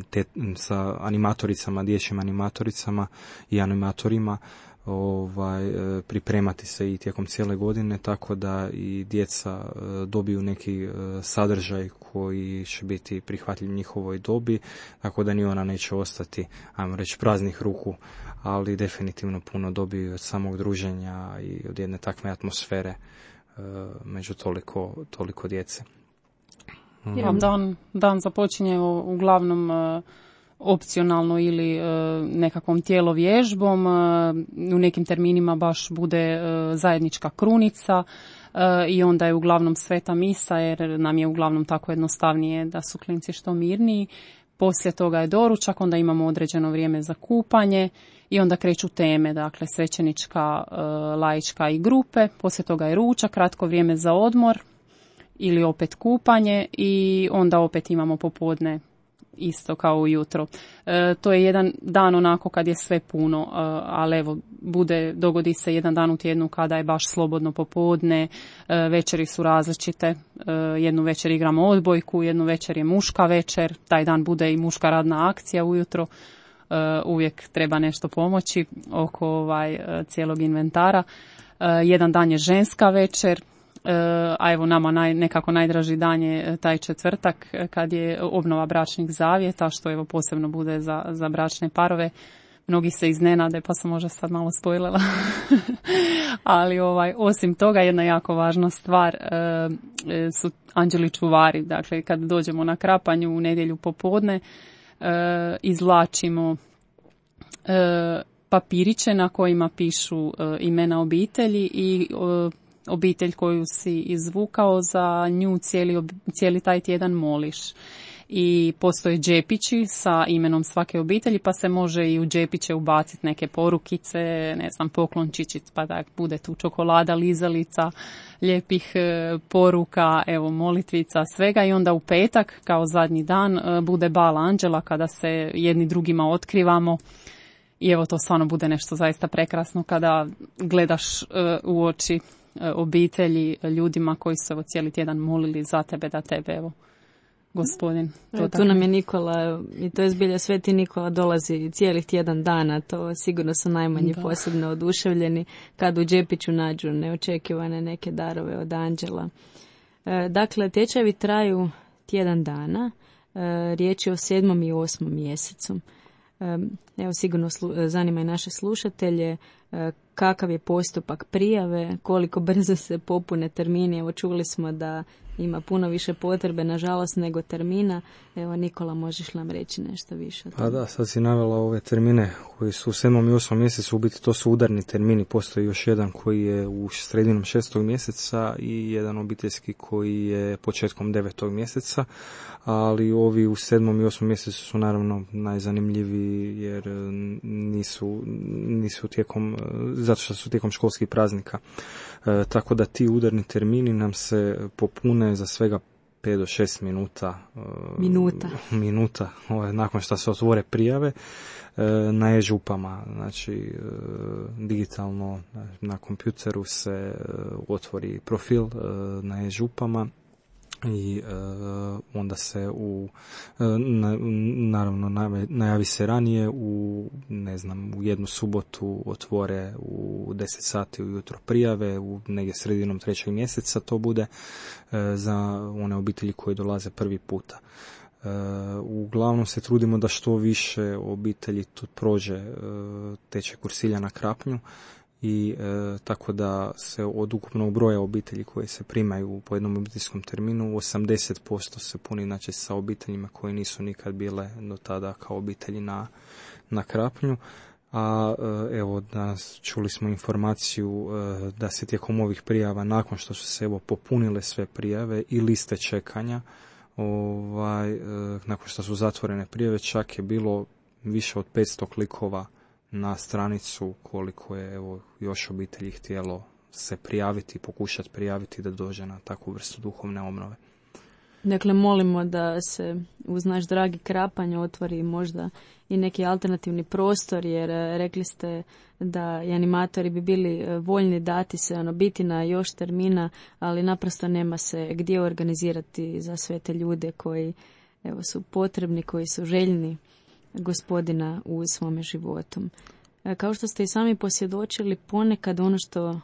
te, sa animatoricama, dječjim animatoricama i animatorima ovaj pripremati se i tijekom cijele godine, tako da i djeca dobiju neki sadržaj koji će biti prihvatljiv njihovoj dobi, tako da ni ona neće ostati, ajmo reći, praznih ruku, ali definitivno puno dobiju od samog druženja i od jedne takve atmosfere među toliko, toliko djece. Ja, dan, dan započinje uglavnom opcionalno ili e, nekakvom tjelovježbom, e, u nekim terminima baš bude e, zajednička krunica e, i onda je uglavnom sveta misa, jer nam je uglavnom tako jednostavnije da su klinci što mirniji. Poslije toga je doručak, onda imamo određeno vrijeme za kupanje i onda kreću teme, dakle svećenička, e, laička i grupe. Poslije toga je ručak, kratko vrijeme za odmor ili opet kupanje i onda opet imamo popodne isto kao ujutro. E, to je jedan dan onako kad je sve puno, e, ali evo, bude, dogodi se jedan dan u tjednu kada je baš slobodno popodne, e, večeri su različite, e, jednu večer igramo odbojku, jednu večer je muška večer, taj dan bude i muška radna akcija ujutro, e, uvijek treba nešto pomoći oko ovaj, cijelog inventara. E, jedan dan je ženska večer, a evo nama naj, nekako najdraži dan je taj četvrtak kad je obnova bračnih zavjeta, što evo posebno bude za, za bračne parove. Mnogi se iznenade, pa sam možda sad malo spojlela. Ali ovaj, osim toga jedna jako važna stvar e, su anđeli čuvari. Dakle, kad dođemo na Krapanju u nedjelju popodne, e, izvlačimo e, papiriće na kojima pišu e, imena obitelji i e, obitelj koju si izvukao, za nju cijeli, cijeli taj tjedan moliš. i postoje džepići sa imenom svake obitelji, pa se može i u džepiće ubaciti neke porukice, ne znam, poklončići, pa da bude tu čokolada, lizalica, lijepih e, poruka, evo, molitvica, svega, i onda u petak, kao zadnji dan, e, bude bal anđela kada se jedni drugima otkrivamo. I evo, to stvarno bude nešto zaista prekrasno kada gledaš e, u oči e, obitelji, ljudima koji su evo cijeli tjedan molili za tebe, da tebe, evo, Gospodin. To tu nam je Nikola, i to je zbilja Sveti Nikola dolazi cijelih tjedan dana, to sigurno su najmanji da. posebno oduševljeni kad u džepiću nađu neočekivane neke darove od anđela. E, dakle, tečajevi traju tjedan dana, e, riječ je o sedmom i osmom mjesecu. E, evo, sigurno slu, zanima i naše slušatelje e, kakav je postupak prijave, koliko brzo se popune termini. Evo, čuli smo da ima puno više potrebe, nažalost, nego termina. Evo, Nikola, možeš nam reći nešto više o tome? Pa da, sad si navela ove termine koji su u sedmom i osmom mjesecu, u biti to su udarni termini. Postoji još jedan koji je u sredinom šestog mjeseca i jedan obiteljski koji je početkom devetog mjeseca, ali ovi u sedmom i osmom mjesecu su naravno najzanimljiviji jer nisu, nisu tijekom, zato što su tijekom školskih praznika. E, tako da ti udarni termini nam se popune za svega pet do šest minuta. Minuta. Minuta, ovaj, nakon što se otvore prijave e, na e-župama. Znači, e, digitalno na kompjuteru se e, otvori profil e, na e-župama i e, onda se u e, na, naravno najavi se ranije u ne znam u jednu subotu otvore u deset sati ujutro prijave, u negdje sredinom trećeg mjeseca to bude e, za one obitelji koje dolaze prvi puta. E, uglavnom se trudimo da što više obitelji tu prođe e, tečaj kursilja na Krapnju. I e, tako da se od ukupnog broja obitelji koje se primaju po jednom obiteljskom terminu osamdeset posto se puni, znači, sa obiteljima koje nisu nikad bile do tada kao obitelji na, na Krapnju. A e, evo, danas čuli smo informaciju e, da se tijekom ovih prijava, nakon što su se evo popunile sve prijave i liste čekanja, ovaj, e, nakon što su zatvorene prijave, čak je bilo više od petsto klikova na stranicu koliko je evo još obitelji htjelo se prijaviti, pokušati prijaviti da dođe na takvu vrstu duhovne obnove. Dakle, molimo da se uz naš dragi Krapanj otvori možda i neki alternativni prostor, jer rekli ste da i animatori bi bili voljni dati se, ono, biti na još termina, ali naprosto nema se gdje organizirati za sve te ljude koji evo su potrebni, koji su željni Gospodina u svome životu. Kao što ste i sami posvjedočili, ponekad ono što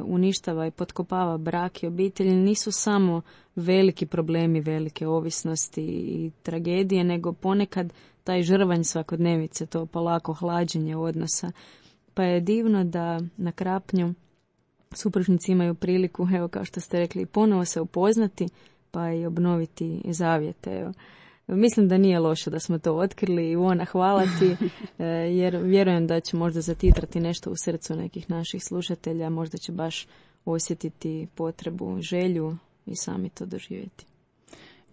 uništava i potkopava brak i obitelj nisu samo veliki problemi, velike ovisnosti i tragedije, nego ponekad taj žrvanj svakodnevice, to polako hlađenje odnosa. Pa je divno da na Krapnju supružnici imaju priliku, evo kao što ste rekli, ponovo se upoznati pa i obnoviti zavjete. Evo. Mislim da nije loše da smo to otkrili. Ivona, hvala ti, jer vjerujem da će možda zatitrati nešto u srcu nekih naših slušatelja, možda će baš osjetiti potrebu, želju i sami to doživjeti.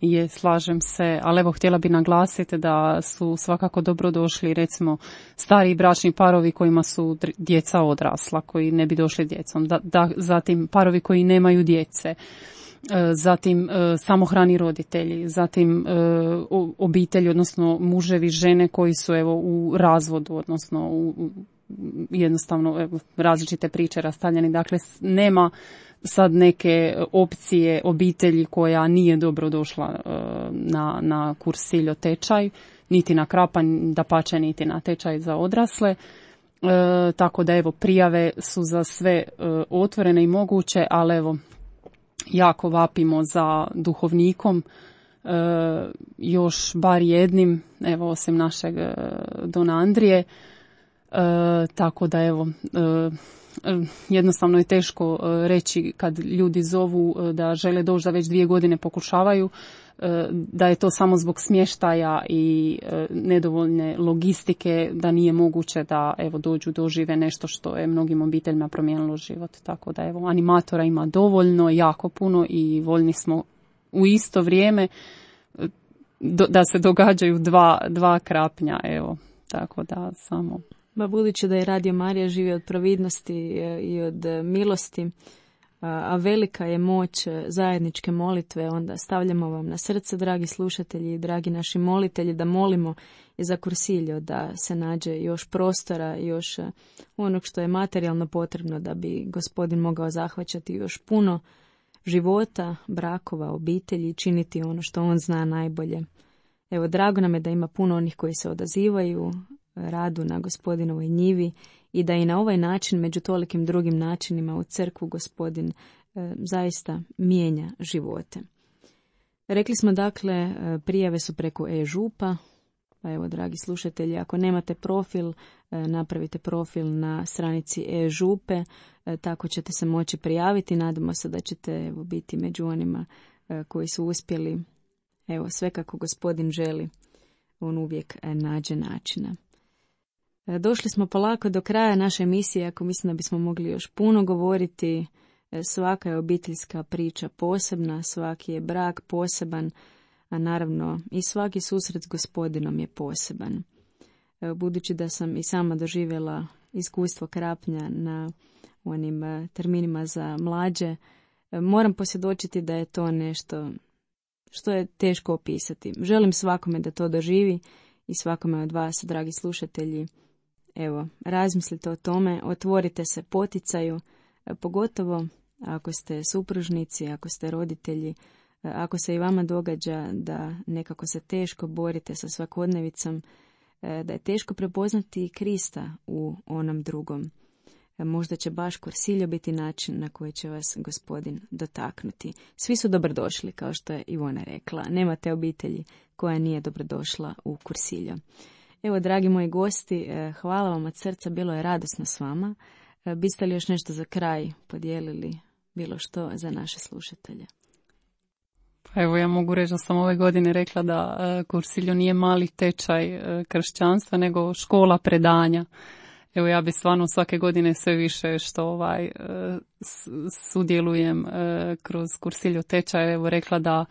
Je, slažem se, ali evo htjela bi naglasiti da su svakako dobro došli recimo stariji bračni parovi kojima su djeca odrasla, koji ne bi došli djecom, da, da, zatim parovi koji nemaju djece, zatim samohrani roditelji, zatim obitelji, odnosno muževi, žene koji su evo u razvodu, odnosno u, u, jednostavno evo, različite priče rastavljeni. Dakle, nema sad neke opcije obitelji koja nije dobro došla na, na kursiljo tečaj, niti na Krapanj, dapače niti na tečaj za odrasle. E, tako da evo, prijave su za sve e, otvorene i moguće, ali evo, jako vapimo za duhovnikom, e, još bar jednim, evo osim našeg e, Dona Andrije, e, tako da evo, e, jednostavno je teško e, reći kad ljudi zovu e, da žele doći, da već dvije godine pokušavaju, e, da je to samo zbog smještaja i e, nedovoljne logistike, da nije moguće da evo dođu, dožive nešto što je mnogim obiteljima promijenilo život. Tako da evo, animatora ima dovoljno, jako puno i voljni smo u isto vrijeme do, da se događaju dva, dva krapnja, evo, tako da samo. Ba budući da je Radio Marija živi od providnosti i od milosti, a velika je moć zajedničke molitve, onda stavljamo vam na srce, dragi slušatelji i dragi naši molitelji, da molimo i za Cursillo, da se nađe još prostora, još onog što je materijalno potrebno da bi Gospodin mogao zahvaćati još puno života, brakova, obitelji, činiti ono što on zna najbolje. Evo, drago nam je da ima puno onih koji se odazivaju radu na Gospodinovoj njivi i da i na ovaj način, među tolikim drugim načinima u crkvu, Gospodin e, zaista mijenja živote. Rekli smo dakle, e, prijave su preko e-župa, pa evo, dragi slušatelji, ako nemate profil, e, napravite profil na stranici e-župe, e, tako ćete se moći prijaviti. Nadamo se da ćete evo, biti među onima e, koji su uspjeli, evo, sve kako Gospodin želi, on uvijek e, nađe načina. Došli smo polako do kraja naše emisije, ako mislim da bismo mogli još puno govoriti. Svaka je obiteljska priča posebna, svaki je brak poseban, a naravno i svaki susret s Gospodinom je poseban. Budući da sam i sama doživjela iskustvo krapnja na onim terminima za mlađe, moram posvjedočiti da je to nešto što je teško opisati. Želim svakome da to doživi i svakome od vas, dragi slušatelji, evo, razmislite o tome, otvorite se poticaju, pogotovo ako ste supružnici, ako ste roditelji, ako se i vama događa da nekako se teško borite sa svakodnevicom, da je teško prepoznati Krista u onom drugom. Možda će baš Cursillo biti način na koji će vas Gospodin dotaknuti. Svi su dobrodošli, kao što je Ivona rekla. Nemate obitelji koja nije dobrodošla u Cursillo. Evo, dragi moji gosti, hvala vam od srca, bilo je radosno s vama. Biste li još nešto za kraj podijelili, bilo što za naše slušatelje? Pa evo, ja mogu reći da sam ove godine rekla da Cursillo nije mali tečaj kršćanstva, nego škola predanja. Evo, ja bi stvarno svake godine sve više što ovaj sudjelujem kroz Cursillo tečaj, evo, rekla da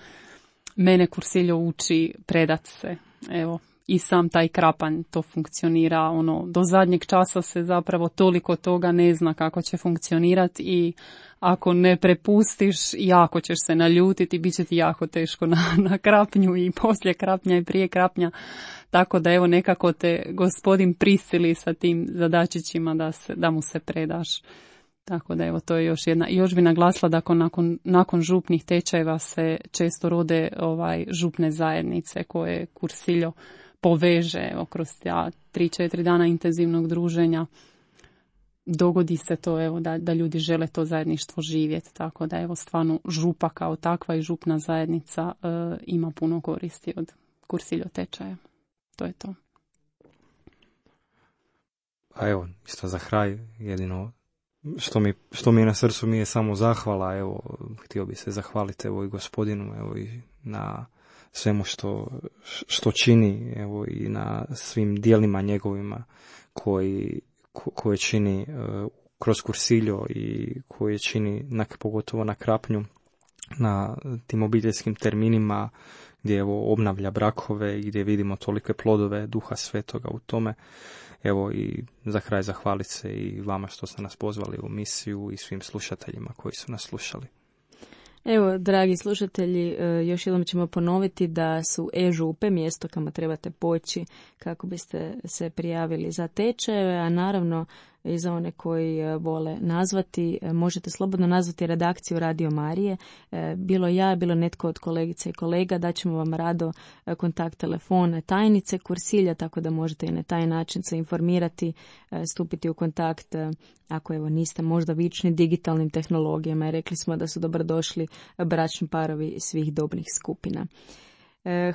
mene Cursillo uči predat se, evo. I sam taj krapanj to funkcionira, ono, do zadnjeg časa se zapravo toliko toga ne zna kako će funkcionirati i ako ne prepustiš, jako ćeš se naljutiti, bit će ti jako teško na, na krapnju i poslije krapnja i prije krapnja, tako da evo nekako te Gospodin prisili sa tim zadačićima da, se, da mu se predaš. Tako da evo, to je još jedna. Još bi naglasila da nakon, nakon župnih tečajeva se često rode ovaj župne zajednice koje Cursillo poveže, evo, kroz ta tri četiri dana intenzivnog druženja. Dogodi se to, evo, da, da ljudi žele to zajedništvo živjeti, tako da evo, stvarno župa kao takva i župna zajednica e, ima puno koristi od Cursillo tečaja. To je to. A evo, isto za kraj, jedino što mi, što mi je na srcu mi je samo zahvala, evo, htio bi se zahvaliti evo i Gospodinu, evo i na svemu što, što čini, evo i na svim dijelima njegovima koji, ko, koje čini uh, kroz Cursillo i koje čini na, pogotovo na krapnju, na tim obiteljskim terminima gdje evo obnavlja brakove i gdje vidimo tolike plodove Duha Svetoga u tome. Evo i za kraj zahvaliti se i vama što ste nas pozvali u misiju i svim slušateljima koji su nas slušali. Evo, dragi slušatelji, još jednom ćemo ponoviti da su e-župe mjesto kamo trebate poći kako biste se prijavili za tečajeve, a naravno i za one koji vole nazvati, možete slobodno nazvati redakciju Radio Marije, bilo ja, bilo netko od kolegica i kolega, daćemo vam rado kontakt telefona tajnice Cursillo, tako da možete i na taj način se informirati, stupiti u kontakt ako evo niste možda vični digitalnim tehnologijama. Rekli smo da su dobrodošli bračni parovi svih dobnih skupina.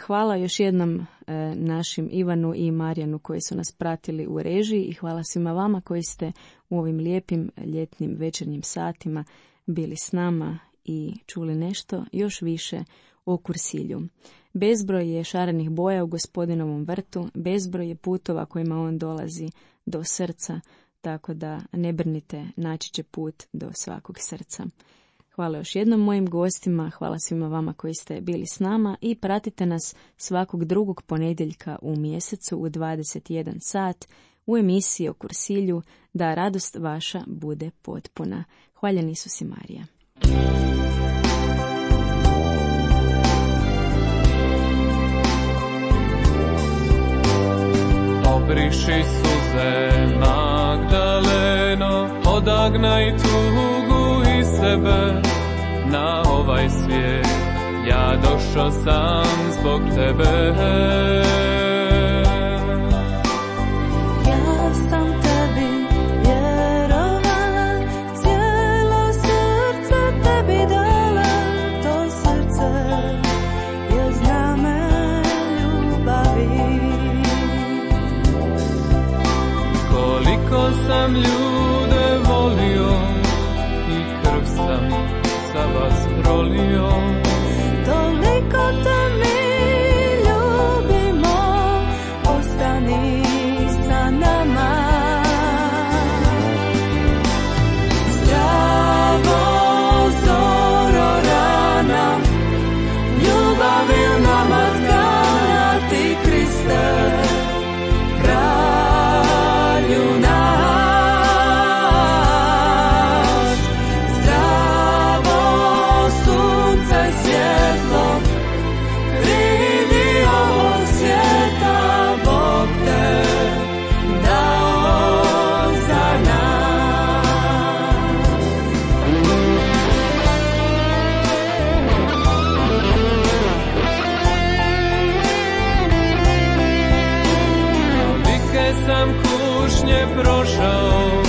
Hvala još jednom našim Ivanu i Marijanu koji su nas pratili u režiji i hvala svima vama koji ste u ovim lijepim ljetnim večernjim satima bili s nama i čuli nešto još više o Cursillu. Bezbroj je šarenih boja u Gospodinovom vrtu, bezbroj je putova kojima on dolazi do srca, tako da ne brinite, naći će put do svakog srca. Hvala još jednom mojim gostima, hvala svima vama koji ste bili s nama i pratite nas svakog drugog ponedjeljka u mjesecu u dvadeset jedan sat u emisiji o Kursilju, da radost vaša bude potpuna. Hvaljen Isus i Marija. Obriši suze, Magdaleno, odagnaj tugu iz sebe. Na ovaj svijet ja došao sam zbog tebe. Ja sam tebi vjerovala, cijelo srce tebi dala. To srce je zname ljubavi. Koliko sam ljude volio i krv sam za vas prolio. Toliko te mi ljubimo, ostani sa nama. Zdravo zoro rana, ljubavi u nama tkana, ti Kriste, kralju naš. Zdravo sunce svjetlo, kridi ovog svijeta, Bog te dao za nas. Kolike sam kušnje prošao,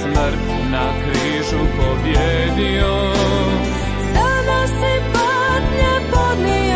smrt na križu pobjedio. Sada si patnje podnio.